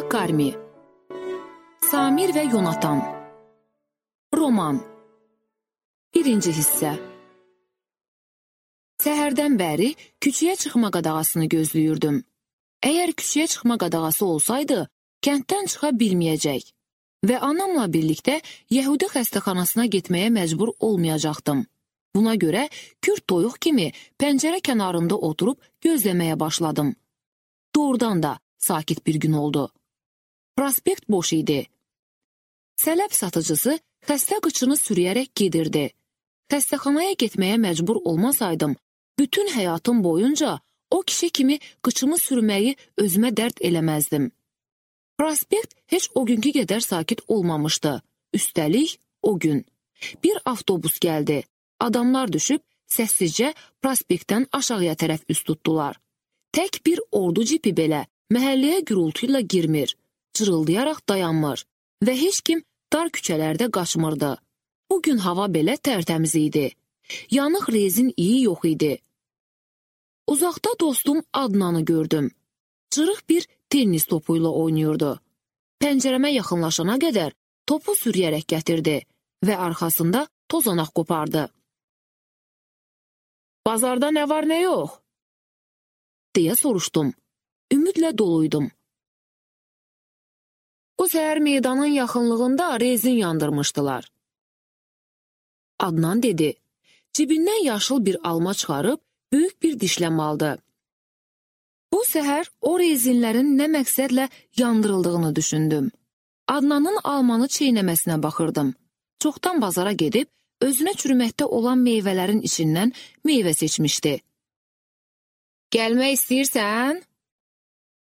Karmi, Samir və Yonatan. Roman. 1-ci hissə. Səhərdən bəri küçəyə çıxma qadağasını gözləyirdim. Əgər küçəyə çıxma qadağası olsaydı, kənddən çıxa bilməyəcək və anamla birlikdə Yəhudi xəstəxanasına getməyə məcbur olmayacaqdım. Buna görə kürt toyuq kimi pəncərə kənarında oturub gözləməyə başladım. Doğrudan da sakit bir gün oldu. Prospekt boş idi. Sələb satıcısı xəstə qıçını sürüyərək gedirdi. Xəstəxanaya getməyə məcbur olmasaydım, bütün həyatım boyunca o kişi kimi qıçımı sürməyi özümə dərd eləməzdim. Prospekt heç o günkü qədər sakit olmamışdı. Üstəlik, o gün. Bir avtobus gəldi. Adamlar düşüb, səssizcə prospektdən aşağıya tərəf üst tutdular. Tək bir ordu cipi belə məhəlləyə gürültü ilə girmir, cırıldayaraq dayanmır və heç kim dar küçələrdə qaçmırdı. Bugün hava belə tərtəmiz idi. Yanıq rezin iyi yox idi. Uzaqda dostum Adnanı gördüm. Cırıq bir tennis topu ilə oynayırdı. Pəncərəmə yaxınlaşana qədər topu sürüyərək gətirdi və arxasında tozanaq qopardı. "Bazarda nə var, nə yox?" deyə soruşdum. Ümidlə doluydum. "Bu səhər meydanın yaxınlığında rezin yandırmışdılar." Adnan dedi. Cibindən yaşıl bir alma çıxarıb, böyük bir dişləm aldı. Bu səhər o rezinlərin nə məqsədlə yandırıldığını düşündüm. Adnanın almanı çeynəməsinə baxırdım. Çoxdan bazara gedib, özünə çürüməkdə olan meyvələrin içindən meyvə seçmişdi. "Gəlmək istəyirsən?"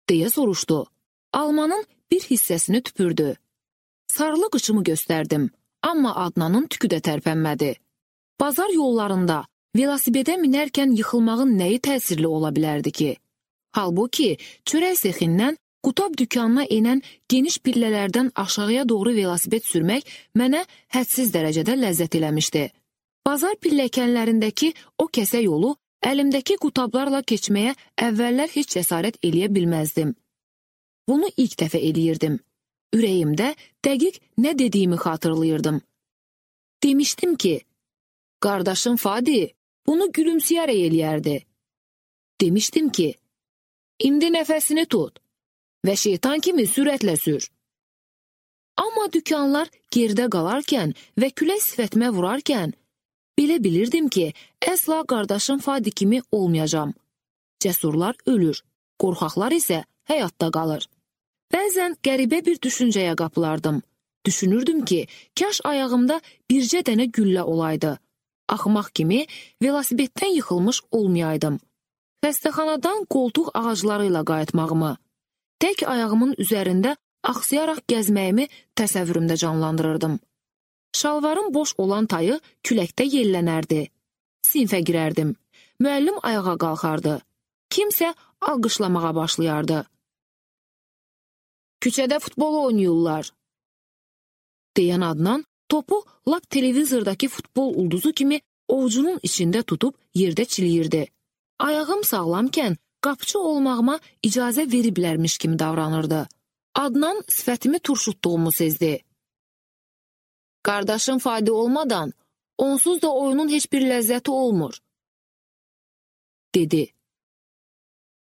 deyə soruşdu. Almanın bir hissəsini tüpürdü. Sarılı qıçımı göstərdim, amma Adnanın tükü də tərpənmədi. Bazar yollarında velosipedə minərkən yıxılmağın nəyi təsirli ola bilərdi ki? Halbuki, çörək sexindən qutab dükanına enən geniş pillələrdən aşağıya doğru velosiped sürmək mənə hədsiz dərəcədə ləzzət eləmişdi. Bazar pilləkənlərindəki o kəsə yolu əlimdəki qutablarla keçməyə əvvəllər heç cəsarət eləyə bilməzdim. Bunu ilk dəfə eləyirdim. Ürəyimdə dəqiq nə dediyimi xatırlayırdım. Demişdim ki, qardaşım Fadi bunu gülümsəyərək eləyərdi. Demişdim ki, indi nəfəsini tut və şeytan kimi sürətlə sür. Amma dükanlar gerdə qalarkən və külək sifətimə vurarkən, belə bilirdim ki, əsla qardaşım Fadi kimi olmayacam. Cəsurlar ölür, qorxaqlar isə həyatda qalır. Bəzən qəribə bir düşüncəyə qapılardım. Düşünürdüm ki, kaş ayağımda bircə dənə güllə olaydı. Axmaq kimi velosipeddən yıxılmış olmayaydım. Xəstəxanadan qoltuq ağacları ilə qayıtmağımı, tək ayağımın üzərində axsayaraq gəzməyimi təsəvvürümdə canlandırırdım. Şalvarım boş olan tayı küləkdə yellənərdi. Sinfə girərdim. Müəllim ayağa qalxardı. Kimsə alqışlamağa başlayardı. "Küçədə futbol oynayırlar," deyən Adnan topu lap televizordakı futbol ulduzu kimi ovucunun içində tutub yerdə çiliyirdi. Ayağım sağlamkən qapçı olmağıma icazə veriblərmiş kimi davranırdı. Adnan sifətimi turşutduğumu sezdi. "Qardaşım Fadi olmadan, onsuz da oyunun heç bir ləzzəti olmur," dedi.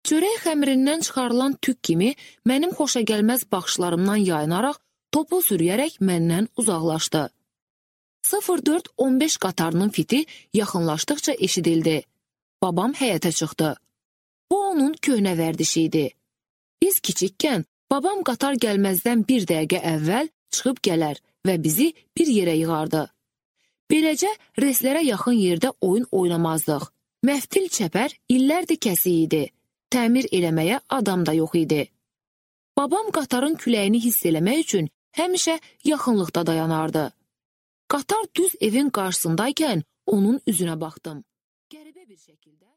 Çörək xəmirindən çıxarılan tük kimi mənim xoşagəlməz baxışlarımdan yayınaraq topu sürüyərək məndən uzaqlaşdı. 04-15 qatarının fiti yaxınlaşdıqca eşidildi. Babam həyətə çıxdı. Bu onun köhnə vərdişi idi. Biz kiçikkən babam qatar gəlməzdən bir dəqiqə əvvəl çıxıb gələr və bizi bir yerə yığardı. Beləcə reslərə yaxın yerdə oyun oynamazdıq. Məftil çəpər illərdir kəsik idi. Təmir eləməyə adam da yox idi. Babam qatarın küləyini hiss eləmək üçün həmişə yaxınlıqda dayanardı. Qatar düz evin qarşısındaykən onun üzünə baxdım. Qəribə bir şəkildə